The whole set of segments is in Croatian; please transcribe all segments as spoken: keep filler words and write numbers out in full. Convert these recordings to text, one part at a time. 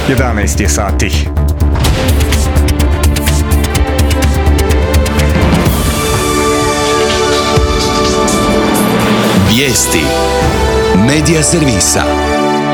jedanaest je sati. Vijesti Medija servisa.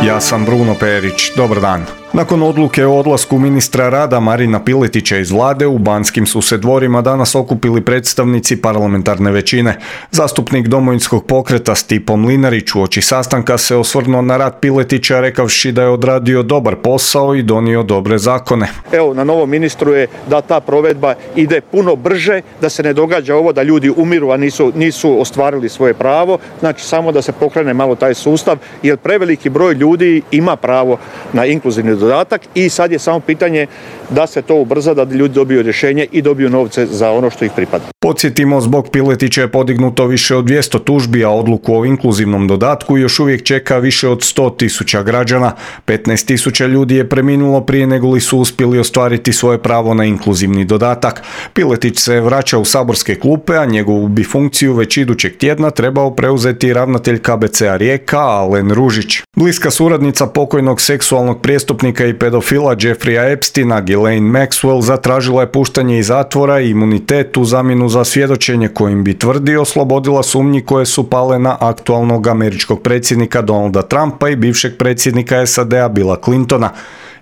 Ja sam Bruno Perić, dobar dan. Nakon odluke o odlasku ministra rada Marina Piletića iz vlade, u Banskim su se dvorima danas okupili predstavnici parlamentarne većine. Zastupnik Domovinskog pokreta Stipo Mlinarić uoči sastanka se osvrnuo na rad Piletića rekavši da je odradio dobar posao i donio dobre zakone. Evo, na novom ministru je da ta provedba ide puno brže, da se ne događa ovo da ljudi umiru, a nisu, nisu ostvarili svoje pravo. Znači, samo da se pokrene malo taj sustav, jer preveliki broj ljudi ima pravo na inkluzivni dodatak i sad je samo pitanje da se to ubrza, da ljudi dobiju rješenje i dobiju novce za ono što ih pripada. Podsjetimo, zbog Piletića je podignuto više od dvjesto tužbi, a odluku o inkluzivnom dodatku još uvijek čeka više od sto tisuća građana. petnaest tisuća ljudi je preminulo prije nego li su uspjeli ostvariti svoje pravo na inkluzivni dodatak. Piletić se vraća u saborske klupe, a njegovu bi funkciju već idućeg tjedna trebao preuzeti ravnatelj K B C-a Rijeka Alen Ružić. Bliska suradnica pokojnog seksualnog prijestupnika i pedofila Jeffreya Epsteina, Ghislaine Maxwell, zatražila je puštanje iz zatvora i imunitet u zamjenu za svjedočenje kojim bi tvrdi oslobodila sumnji koje su pale na aktualnog američkog predsjednika Donalda Trumpa i bivšeg predsjednika S A D-a Billa Clintona.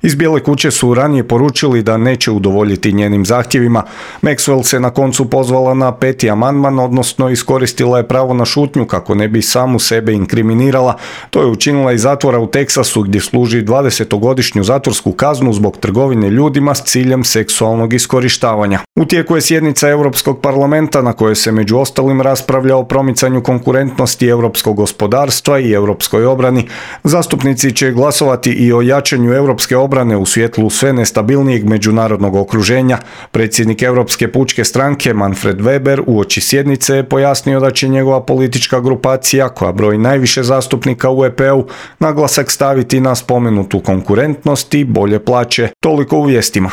Iz Bijele kuće su ranije poručili da neće udovoljiti njenim zahtjevima. Maxwell se na koncu pozvala na peti amandman, odnosno iskoristila je pravo na šutnju kako ne bi samu sebe inkriminirala. To je učinila iz zatvora u Teksasu gdje služi dvadesetogodišnju zatvorsku kaznu zbog trgovine ljudima s ciljem seksualnog iskorištavanja. U tijeku je sjednica Europskog parlamenta na kojoj se među ostalim raspravlja o promicanju konkurentnosti europskog gospodarstva i europskoj obrani. Zastupnici će glasovati i o jačanju europske obrane obrane u svjetlu sve nestabilnijeg međunarodnog okruženja. Predsjednik Europske pučke stranke Manfred Weber uoči sjednice je pojasnio da će njegova politička grupacija, koja broji najviše zastupnika u E P-u, naglasak staviti na spomenutu konkurentnost i bolje plaće. Toliko u vijestima.